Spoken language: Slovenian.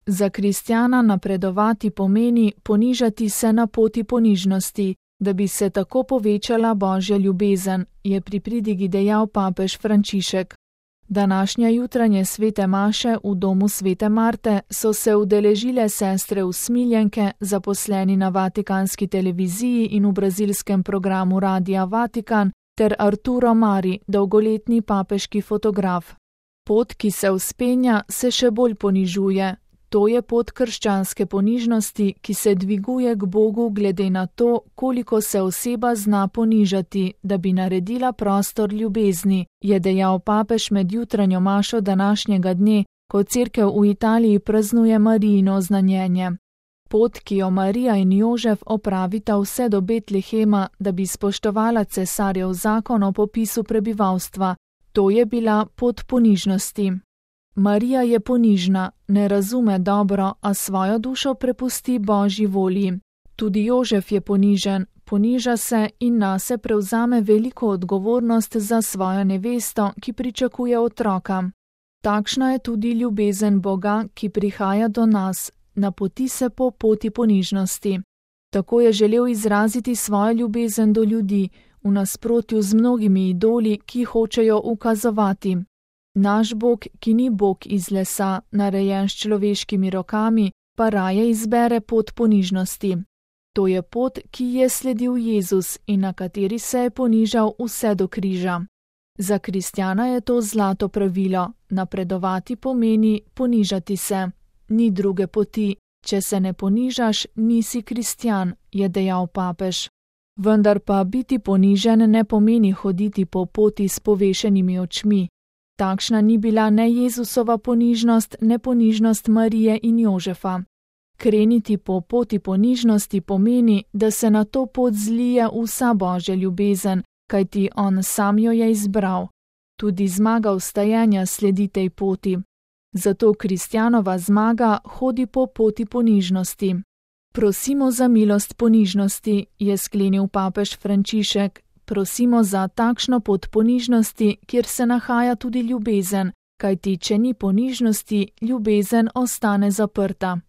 Za kristjana napredovati pomeni ponižati se na poti ponižnosti, da bi se tako povečala Božja ljubezen, je pri pridigi dejal papež Frančišek. Današnje jutranje svete maše v domu svete Marte so se udeležile sestre usmiljenke, zaposleni na vatikanski televiziji in v brazilskem programu Radia Vatikan, ter Arturo Mari, dolgoletni papeški fotograf. Pot, ki se vzpenja, se še bolj ponižuje. To je pot krščanske ponižnosti, ki se dviguje k Bogu glede na to, koliko se oseba zna ponižati, da bi naredila prostor ljubezni, je dejal papež med jutranjo mašo današnjega dne, ko cerkev v Italiji praznuje Marijino znanjenje. Pot, ki jo Marija in Jožef opravita vse do Betlehema, da bi spoštovala cesarjev zakon o popisu prebivalstva, to je bila pot ponižnosti. Marija je ponižna, ne razume dobro, a svojo dušo prepusti Božji volji. Tudi Jožef je ponižen, poniža se in nase prevzame veliko odgovornost za svojo nevesto, ki pričakuje otroka. Takšna je tudi ljubezen Boga, ki prihaja do nas, napoti se po poti ponižnosti. Tako je želel izraziti svojo ljubezen do ljudi, v nasprotju z mnogimi idoli, ki hočejo ukazovati. Naš Bog, ki ni Bog iz lesa, narejen s človeškimi rokami, pa raje izbere pot ponižnosti. To je pot, ki je sledil Jezus in na kateri se je ponižal vse do križa. Za kristjana je to zlato pravilo, napredovati pomeni ponižati se. Ni druge poti, če se ne ponižaš, nisi kristjan, je dejal papež. Vendar pa biti ponižen ne pomeni hoditi po poti s povešenimi očmi. Takšna ni bila ne Jezusova ponižnost, ne ponižnost Marije in Jožefa. Kreniti po poti ponižnosti pomeni, da se na to pot zlije vsa Božja ljubezen, kajti on sam jo je izbral. Tudi zmaga vstajenja sledi tej poti. Zato kristjanova zmaga hodi po poti ponižnosti. Prosimo za milost ponižnosti, je sklenil papež Frančišek. Prosimo za takšno pot ponižnosti, kjer se nahaja tudi ljubezen, kajti če ni ponižnosti, ljubezen ostane zaprta.